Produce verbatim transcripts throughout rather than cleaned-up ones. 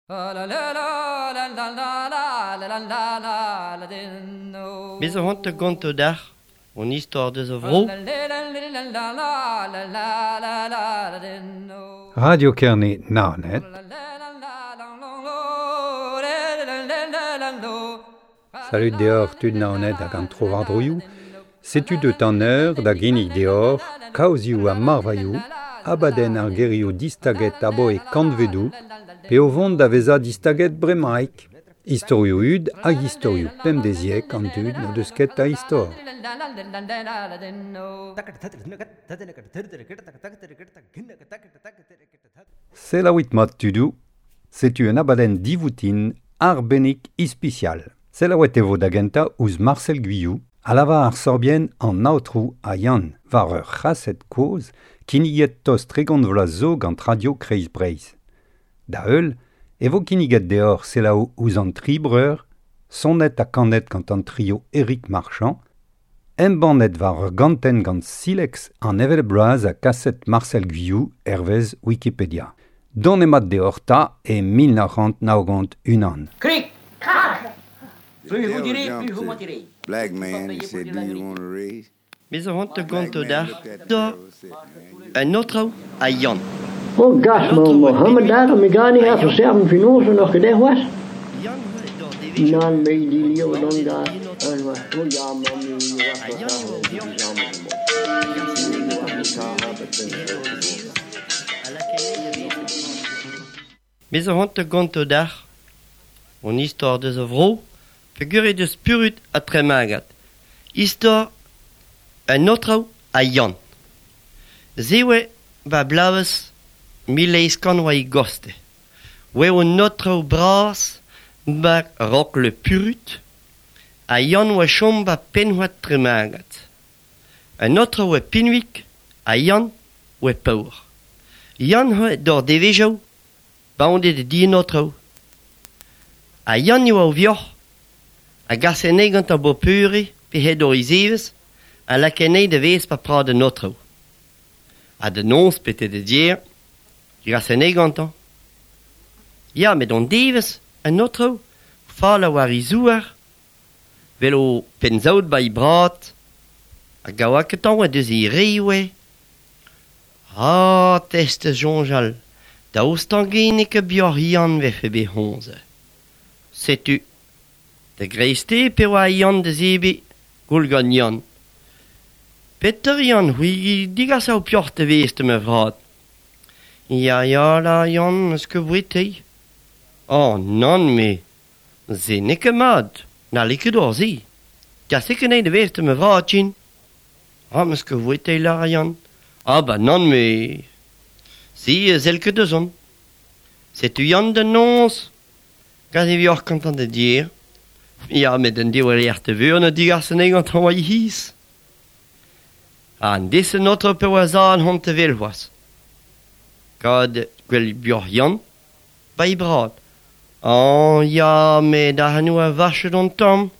Bez a hont gonto d'ar, on istor deus a vro. Radio Kerne Naoned. Salut deoc'h tud Naoned hag an tro war-droioù. Setu deut an eur da ginnig deoc'h, kaozioù ha marvailhoù, abadenn ar gerioù distaget aboe kantvedoù, pe o vont da vezañ distaget bremaik. Istorioù hud hag istorioù pemdeziek an dud n'o deus ket a istor. Selaouit mat tudoù, setu un abadenn divoutin arbennik ispisial. Selaouet e vo da gentañ ouzh Marcel Guillou, a lavar ar sorbienn an aotrou ha Yann, war ur c'haset kozh kinniget tost tregont vloaz zo gant Radio Kreiz Breizh. Da heul, e vo kinniget deoc'h selaou ouzh an tri breur, sonet ha kanet gant an trio Éric Marchand, embannet war ur gantenn gant Silex an hevelep bloaz ha kaset Marcel Guillou hervez Wikipédia. Don emañ deoc'h 'ta e mil nav c'hant nav-ugent unan. Krik! Krak! Plus vous direz, plus vous mentirez. Black man, he said, do you want a raise? Bez a hont gonto d'ar, da un aotrou ha Yann. Oh gas, ma Mohammed daar, mi gar nicht auf serben Finanzen noch gedacht was? Nan me di lio non da. Oh ja, ma mi Bez a hont gonto d'ar, on istor deus a vro, figure deus Purut ha Tremagat. Istor un aotrou ha Yann. Zewe ba blavez mil eizh kant oa e goste. Oe un aotrou bras ba rok le Purut ha Yann oa chom ba penhoat Tremagat. Un aotrou oa pinvik ha Yann oa paour. Yann oa d'or devezhioù baondet di an aotrou. Ha Yann eo o vioc'h a gas anezhi gant ar bopure pe hed hor izevez a lak anezhi da vez pa prad an aotrou. Ha da noz pete da dier, gas anezhi gantañ. Ya, met an devez, an aotrou, fall a war e zouar, vel o penzaout ba e brat, hag a oa ket tañ oa deus e re oe. Ah, test soñjal, daoust an genek a bioc'h Yann vefe bet honze. Setu, da greizte pe oa Yann da zebriñ, goul gant Yann. Peter Yann, c'hwi digas ao pioc'h da vez da ma vrad. Ya, ya, la, Yann, eus ket bouetei. Oh, nann, me. Se n'eo ket mat, n'halle ket ober se. Kaset ket anezhi da vez da ma vrad, Jin. Ah, meus ket bouetei, la, Yann. Ah, ba nann, me. Se, sell ket deus on. Setu Yann da noz. Gant e vioc'h gantañ da dier. Ya, met an div lec'h da veur na digas anezhi gantañ oa e c'hiz. An deiz an aotrou pe oa zan hont te vel c'hoazh. Gant gwell bioc'h Yann, ba e brad. Oh, ya, met ar c'hanoù a vachet an tamm.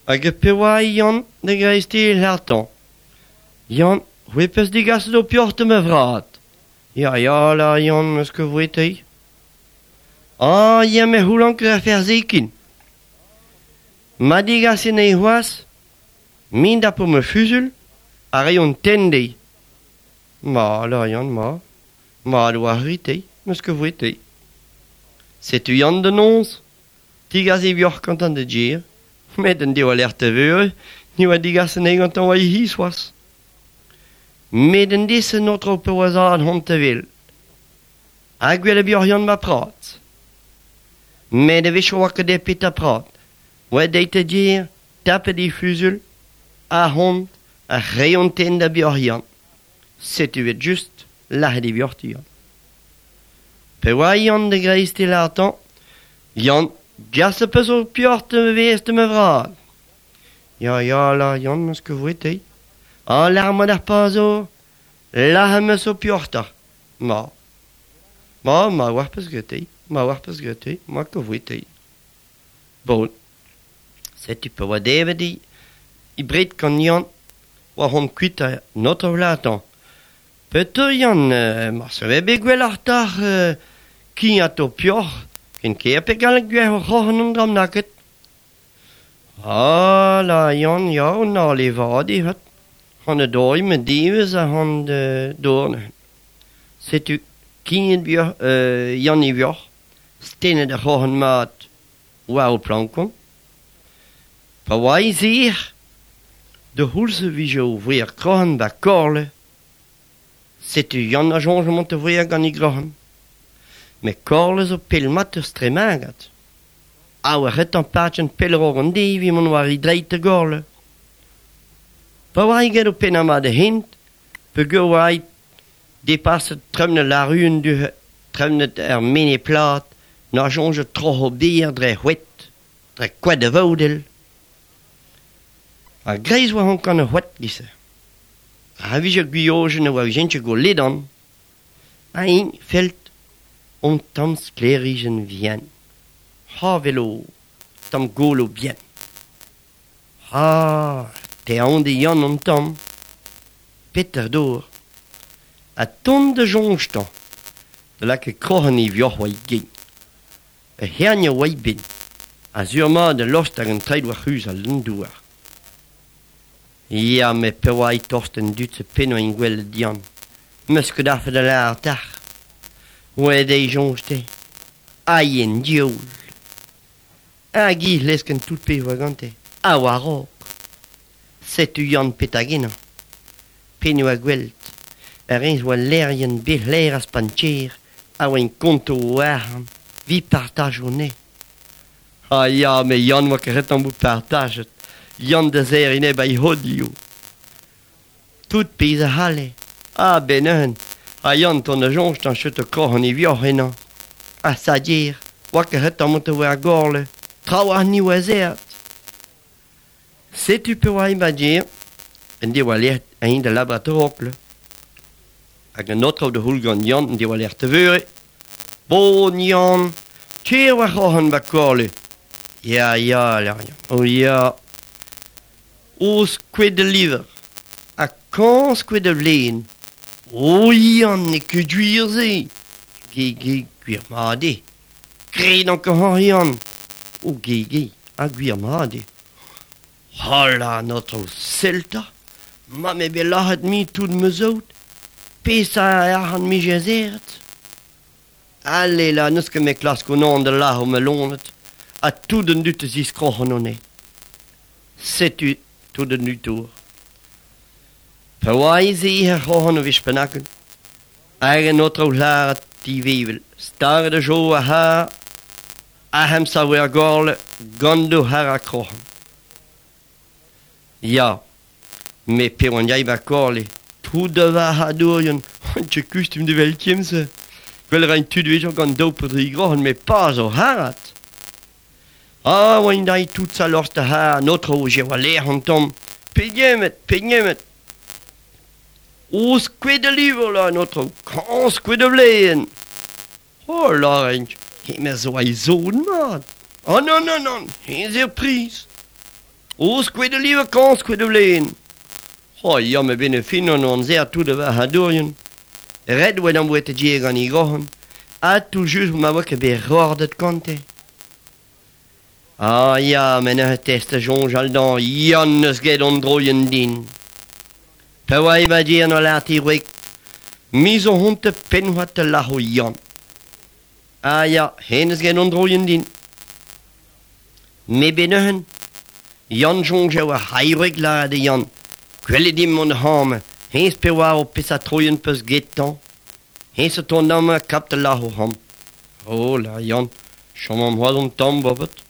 Hag pe oa Yann da greizte l'artañ. Yann, c'hwi peus digaset ho pioc'h da ma vrad. Ya, ya, la, Yann, eus ket voetei. Ah, ya, me c'houlan ket a ferzekin. Ma digas anezhi c'hoazh, min da po ma fuzul, a reont tenn dezhi. Ma, la, Yann, ma. Ma, doa ritei, meus ket voetei. Setu Yann da noz, digas e vioc'h gantañ da dier, met an div lec'h da veure, ni oa digas anezhi gantañ oa e c'hiz c'hoazh. Met an deiz an aotrou pe oa zad hont te vel. Ha gwell a bioc'h Yann ma prat. Met a wech oa ket e pet a prat. Oa deit da dier, tapet e fuzul, a hont, a reont tenn da bioc'h Yann. Setu et just, lac'het e vioc'h ti Yann. Pe oa Yann da greizte l'artañ, Yann, gas a peus o pioc'h da vez da ma vrad. Ya, ya, la, Yann, meus ket voetei. Ah, lâr mat ar pazo, lac'h meus o pioc'h ta. Ma. Ma, ma oar peus gretei, ma oar peus gretei, ma ket voetei. Bon. Setu pe oa devet i, i bred gant Yann, oa hon kuit a notre vlatañ. Peter Yann, euh, ma se ve bet gwelloc'h d'ar euh, kignat o pioc'h, Ken ker pe galleg gwer o c'hoc'han an dram naket. Ah, la Yann, ya, on a le vad e hat. Han e doi me divez a han de dorne. Setu kinet bioc'h, euh, Yann e vioc'h, stenet ar c'hoc'han mat war o plankon. Pa oa e zir, de houlse vije o vouer kroc'han ba korle. Setu Yann a jonge mont e vouer gant e groc'han. Me korle zo pelmat eus tremagat. A oa ret an patchen pelror an devi mont war e dreit e gorle. Pa oa e get o penama de hint, pe geur oa e depaset tremnet la ruen du tremnet er mene plat, na jonge troch o bier dre c'hwet, dre koad de vaudel. A greiz oa hon kan a c'hwet gise. A vije guiojen a oa jentje go ledan. A ein felt on tam sklerijen vien. Ha velo, tam golo bien. Ha, te an de Yann an tam. Peter door. A ton de jonge-tan. De lak e kroc'han e vioc'h oa gen. E hern oa bin. A zur ma de lost hag an treid war c'huz al douar. Ya, me pe oa e torst en dut se penno en gwell dian. Meus ket afe da la ar tach. Oa de jonge-te. Ai en dioul. Hag i lesken tout pe oa gante. A oa rok. Setu Yann petagena. Penno a gwelt. Ar rez oa lerien bet as pancher. A oa en konto o arc'hant. Vi partaj o ne. Ah ya, me Yann oa ket an bout partajet. Yann da zer ine ba i hodio. Tout pez a c'halle. Ah ben eun. A Yann ton a jonge tan chet o kroc'han e vioc'h ena. A sa dir. Oa ket ret an mont oa ar gorle. Traoù ar ni oa zert. Setu pe oa ba dir. En de oa lec'h ein da labrat orokle. Hag an otrao de houl gant Yann en de oa lec'h te veure. Bon Yann, tcher oa c'hoc'han ba korle. Ya, ya, ler Yann. O ya. O skouet de liver. A kan skouet de vleen. O Yann, ne ket gwir ze. Ge, ge, gwir ma de. Gred an ket Yann. O ge, ge, a gwir ma de. Hola, notre selta. Ma me bet lac'het mi tout me zout. Pesa ar an mi jezeret. Allez la, neus ket me klask o nan de lac'h o me lonet. A tout an dut ziz kroc'han o ne. Setu tout an dut our. Pa oa e ze her c'hoc'han o vich penaken. Hag an otrao laret ti vevel. Stare de jo a ha. A hem sa oa gorle gando har a kroc'han. Ya, me pe oan jai ba korle. Tout de va ha dourien. Tche kustum de vel kiemse. Gwell rein tud vejo gant daou pedri groc'han me pas o harat. Ah, oan dai tout sa lorst a ha, notre o je oa lec'h an tamm. Pegemet, pegemet. O skouet de livre la, notre kan skouet de vleen. Oh la renk, he me zo a zon mat. Oh non, non, non, he zer pris. O skouet de livre kan skouet de vleen. Oh ya, me ben e fin an an zer tout de va ha dourien. Red oa d'an boet e gant e groc'han. A tout just ma oa ket bet rordet kante. Ah ya, men ur test a jonge al dan, Yann eus get an droien din. Pa oa e ba dir an lart e wek. Mi zo hont e penhoat e lac'h o Yann. Ah ya, hen eus get an droien din. Me ben euhen. Yann jonge oa hairwek la de Yann. Gwellet dim mont ham. Hens pe oa o pesa troien peus getan. Hens o ton am kap de lac'h o ham. Oh la Yann, chom am hoad an tamm bobet.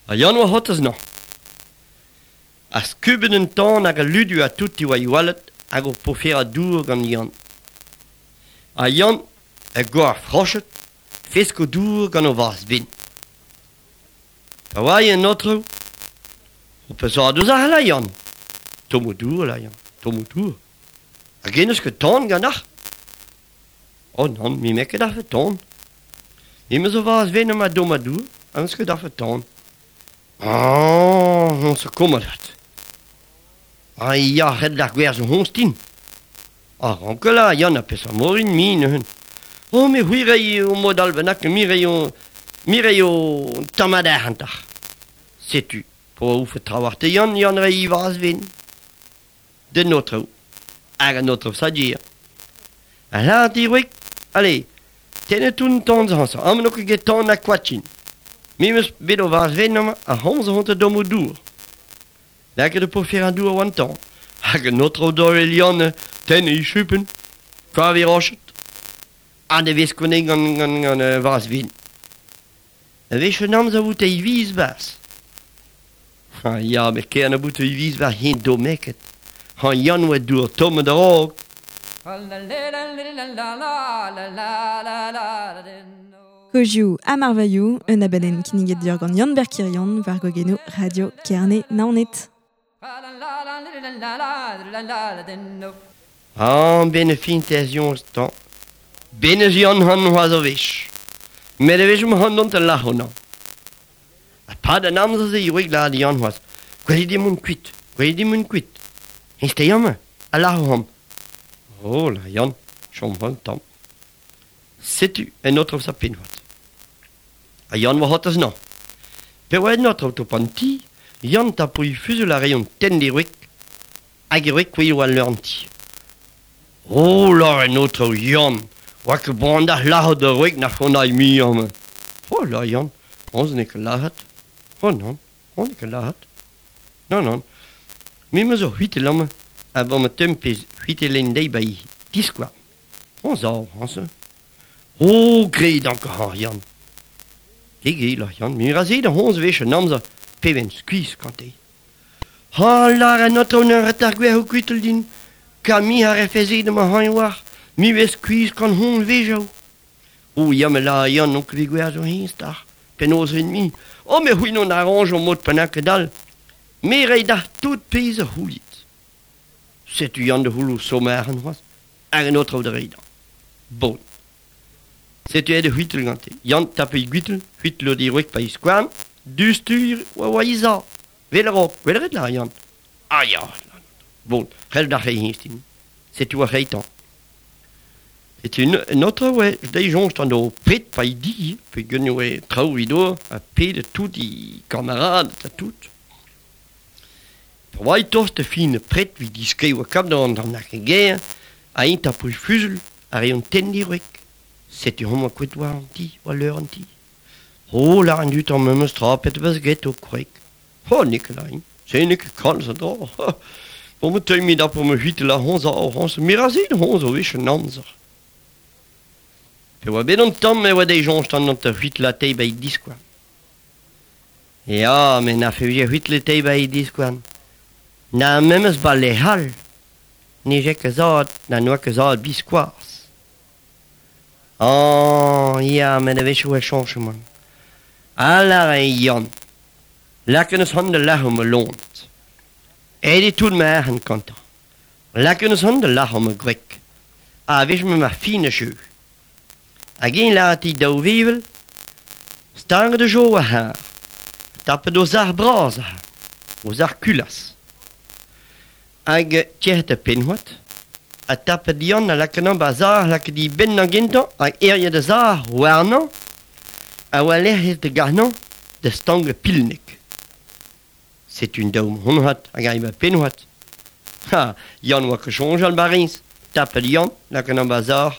A Yann oa hotez no. A skuben un tan hag a ludu a tout oa iwalet hag o pofer a dour gant Yann. A Yann a goar frochet, fesk o dour gant o vaz bin. Pa oa en otrou, o peus a deus ar la Yann. Tom o dour la Yann, tom o dour. Hag en eus ket tan gant ar? Oh non, mi mek ket ar fe tan. Mi meus o vaz vin am a dom a dour, am eus ket ar fe tan. Ah, on se kommadat. Ah ya, red d'ar gwerz o honstin. Ah, ranke la, Yann a pes a morin mi neuhen. Oh, me c'hwi rei o mod al bennak, mi rei o Mireio tamm ad arc'hantac'h. Setu, po ouf trawar te Yann, Yann rei vaz vin. Den otrou. Hag an otrou sa dir. A la di wik, allez, tennet un ton zansa, am no ket get ton a kwatchin. Mi meus bet o vaz vin am, a honz hont a dom o dour. Lak de po fer an dour oan tan. Hag an otrou dor el Yann, ten e chupen, kavi rochet. An de vez konen gant, gant, gant uh, vaz vin. A wech an amzer vout e viz bas. Ha ya, me kern a bout e viz bas hin do meket. Ha Yann oa dour tomme da rog. Kozioù ha marvailhoù, un abadenn kinniget dior gant Yann Berkirion war gogeno Radio Kerne Naoned. An ben fin tez tan. Ben eus Yann han oaz o wech. Met e wech han dont a lac'ho nan. A pad an amzer ze yoig la di Yann oaz. Gwelit di moun kuit, gwelit di moun kuit. Hens te yamme, a lac'ho ham. Oh la Yann, chom han tam. Setu en otrov sa pinvat. A Yann oa hot az nan. Pe oa en otrov to pan ti, Yann tapo i fuzel a reion ten di wik, hag e wik oa leur an ti. Oh la en otrov Yann, oa ket brand ar lac'ho da wik na fond ai mi am. Oh la Yann, on ne ket lac'hat. Oh non, on ne ket lac'hat. Non, non. Mi meus ur huit lamme, a bon me tempez huit len dei bai diskoa. On zo, on se. Oh, gre dank ha Yann. Ge la Yann, mi ra se da honz wech an amzer, peven skuiz kante. Ha lar an otrov n'ur retar gwer ho kuitel din, ka mi a refeze de ma hañ war, mi vez skuiz kan hon vejaou. O ya me la Yann on kvi gwer zo hin star, penaos en mi. O me c'hwin on arranj o mod penak dal. Me rei da tout pez a houlit. Setu Yann de houlou sommer an c'hoaz, hag an otrov da rei da. Bon. Setu eo de c'hwitel gante. Yann tape i gwitel, c'hwitel o di wek pa i skouarn, du stur oa oa i za. Vel a rok, vel a ret la Yann. Ah ya, bon, c'hell da rei hinstin. Setu oa rei tan. Setu un autre oa, dei jonj tan do pet pa i di, pe gen oa traoù i do, a pet tout i kamarad, a tout. Pa oa i tost fin pret vi diskei oa kap da an an ger, a int a pouj fuzel, a reion ten di wek. Setu hom a kuit war an ti, war leur an ti. Oh, la an dut an memes tra pet bas get o kwek. Oh, Nikolai, se nek kalz a dra. Bon, me teui mi da po me huit la honz a honz, mi ra se honz o wech an amzer. Pe oa bet an tamm e oa dei jonj tan an te huit la tei bai diskoan. Ya, me na fe vije huit le tei bai diskoan. Na memes ba le hal. Ne je ket zad, na noa ket zad biskoaz. Oh, ya, met a wech oa chanchement. Alar e Yann. Laken eus hon de lac'h o me lont. Ed e tout ma arc'hant kantañ. Laken eus hon de lac'h o me gwreg. A wech me ma fin a jeu. Hag en la ti daou vevel, stang de jo a har. Tapet o zar braz a har. O zar kulas. Hag tierret a penhoat. A tapet Yann a laken an ba zar laket di ben an gentañ hag erje de zar warnañ a oa lec'h de garnañ de stang pilnek. Setu un daou honhat hag a ba penhoat. Ha, Yann oa ket soñjal barins. Tapet Yann laken an ba zar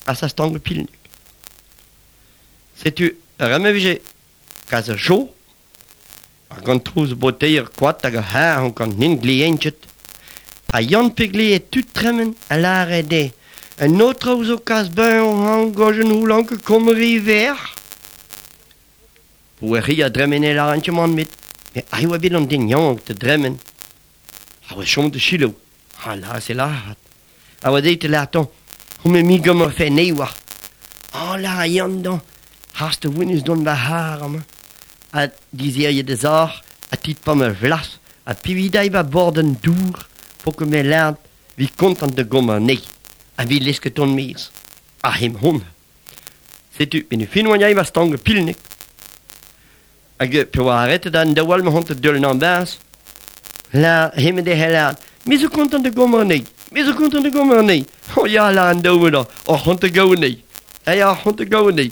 a sa stang pilnek. Setu reme vije kaz a jo a gant trouz boteier koat hag a har an gant nin glientjet. A Yann pegle e tut tremen a lare de. Un autre zo kas ben an gojen houlan ke komri ver. Pou e ri a dremen e la antjeman mit. Me ai oa bet an den yank te dremen. A oa chom de chilo. Ha la se lahat. A oa deit la ton. Ho me mi gom ar fe ne oa. A la a Yann dan. Hast de wunus don va har am. A dizerje de zar. A tit pa me vlas. A pividai ba borden dour. Po ket me lern vi kontant de gommer ne. A vi lesket on miz. A hem hon. Setu, ben fin oan jai va stang pilnek. Hag pe oa arretet an daoual ma hont deul an baz. La heme de helad. Me zo kontant de gommer ne. Me zo kontant de gommer ne. Oh ya la an daoual da. O hont de gaou ne. A ya hont de gaou ne.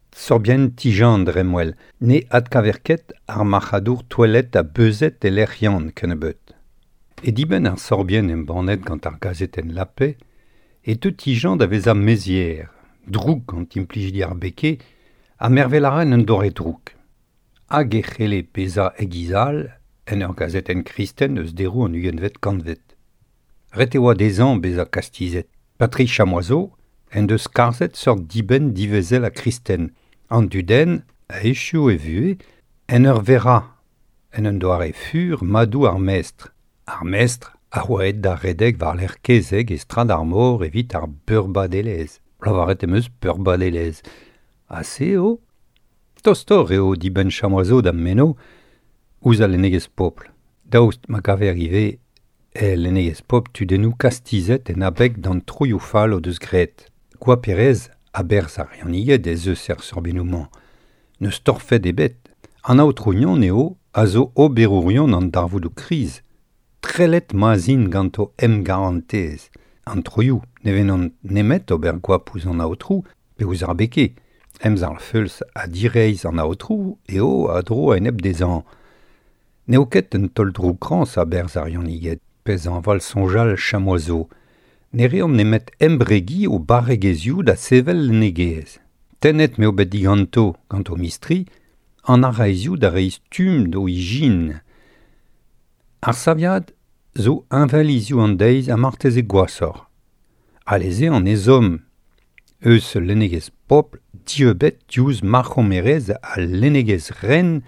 Sorbienn Ti-Jean dremwel, ne adkaver ket ar marc'hadour toelet a beuzet e lec'h Yann kennebeut. E dibenn ar sorbienn embannet gant ar gazetenn La Paix, e teu Ti-Jean da vezañ mezier, droug gant implijidi ar beke, ha mervel a ra en un doare droug. Hag e c'helle bezañ e-giz all en ur gazetenn kristen eus deroù an ugentvet kantved. Ret e oa dezhañ bezañ kastizet. Patrice Chamoiseau en deus skarzhet seurt dibenn divezel ha kristen. An dudenn a echuo e vuhez en ur verañ, en un doare fur madoù ar mestr. Ar mestr a oa aet da redek war-lerc'h kezeg e strad ar mor evit ar beurbadelezh. Lavaret em eus peurbadelezh. Ha se eo ? Tostoc'h eo dibenn Chamoiseau da'm meno ouzh al lennegezh pobl. Daoust ma kaver ivez e lennegezh pobl tudennoù kastizet en abeg d'an troioù fall o deus graet. Goaperezh a-berzh ar Yaniged ez eus er sorbiennoù-mañ. N'eus torfed ebet. An aotrounion eo a zo oberourion an darvoudoù kriz. Trellet ma'z int ganto emgarantez. An troioù ne vennont nemet ober goap ouzh an aotrou pe ouzh ar beke. Emzalc'h feuls ha direizh an aotrou eo a dro a-enep dezhañ. N'eo ket un taol droukrañs a-berzh ar Yaniged, pezh añval soñjal Chamoiseau. Ne reont nemet embregiñ o barregezhioù da sevel lennegezh. Tennet m'eo bet diganto, gant o mistri, an araezioù da reiñ stumm d'o ijin. Ar saviad zo heñvel hiziv an deiz ha marteze gwashoc'h. Alese an ezhomm eus lennegezh pobl dieubet diouzh mac'homerezh al lennegezh ren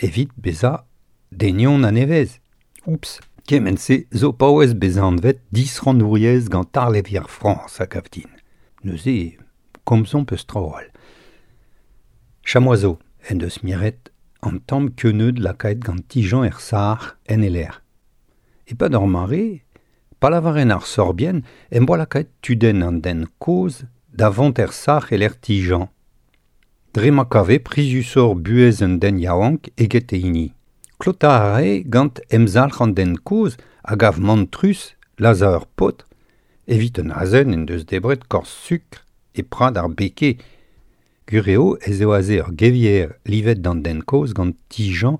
evit bezañ denion a-nevez. Oups, kement-se zo paouez bezañ anvet disrannouriezh gant arlevier Frañs a gav din. Neuze, komzomp eus traoù all. Chamoiseau en deus miret an tamm keuneud lakaet gant Ti-Jean er sac'h en e lec'h. E-pad ur mare, pa lavaren ar sorbienn em boa lakaet tudenn an den kozh da vont er sac'h e lec'h Ti-Jean. Dre ma kave prizusoc'h buhez un den yaouank eget e hini. Klotañ a rae gant emzalc'h an den kozh a gav mantrus lazhañ ur paotr evit un azen en deus debret korz sukr e prad ar beke. Gwir eo ez eo aze ur gevier livet d'an den kozh gant Ti-Jean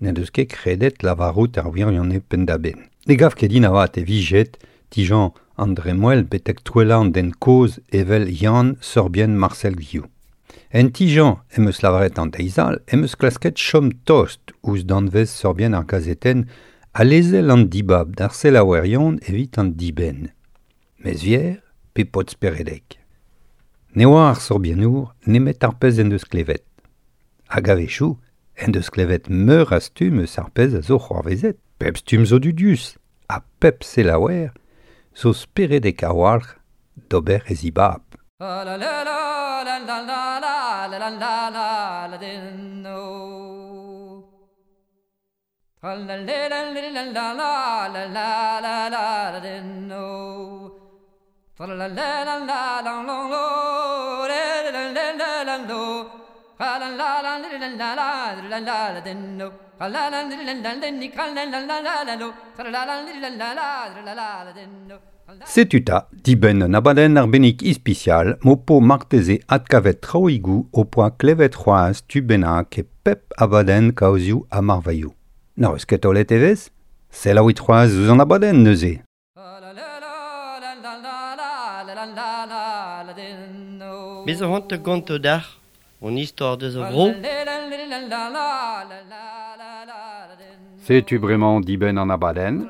n'en deus ket kredet lavarout ar wirionez penn-da-benn. Ne gav ket din avat e vijet Ti-Jean an dremmwel betek touellañ an den kozh evel Yann sorbienn Marcel Guillou. En Ti-Jean em eus lavaret an deiz all em eus klasket chom tost ouzh danvez sorbienn ar gazetenn ha lezel an dibab d'ar selaouerion evit an dibenn. Mezvier pe paotr speredek. Ne oa ar sorbiennour nemet ar pezh en deus klevet. Hag a-wechoù en deus klevet meur a stumm eus ar pezh a zo c'hoarvezet. Pep stumm zo dudius ha pep selaouer zo speredek a-walc'h d'ober e zibab. La la la la la la la la la la la din no. La la la la la la la la la la la din no. La la la la la la la la la la la lo. La la la la la la la la la din no. La la la la la la la la la la la lo. La la la la la la la la la din no. Setu 'ta dibenn un abadenn arbennik ispisial m'ho po marteze adkavet traoùigoù ho poa klevet c'hoazh tu bennak e pep abadenn kaozioù ha marvailhoù. N'hoc'h eus ket taolet evezh ? Selaouit c'hoazh ouzh an abadenn neuze. La la la la la la la la la la din no. Me zo c'hoant da gontañ deoc'h hon istor deus ar vro. Setu bremañ dibenn an abadenn.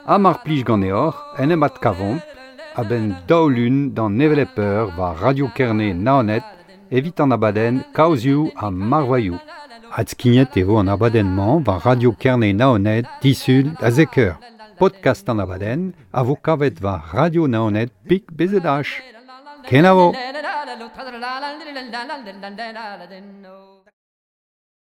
Ha mar plij ganeoc'h en em adkavomp a-benn daou lun d'an hevelep eur war Radio Kerne Naoned evit an abadenn Kaozioù ha Marvailhoù. Adskignet e vo an abadenn-mañ war Radio Kerne Naoned disul da zek eur. Podcast an abadenn a vo kavet war Radio Naoned pik B Z H. Kenavo! La la la la la la la la la la la la la.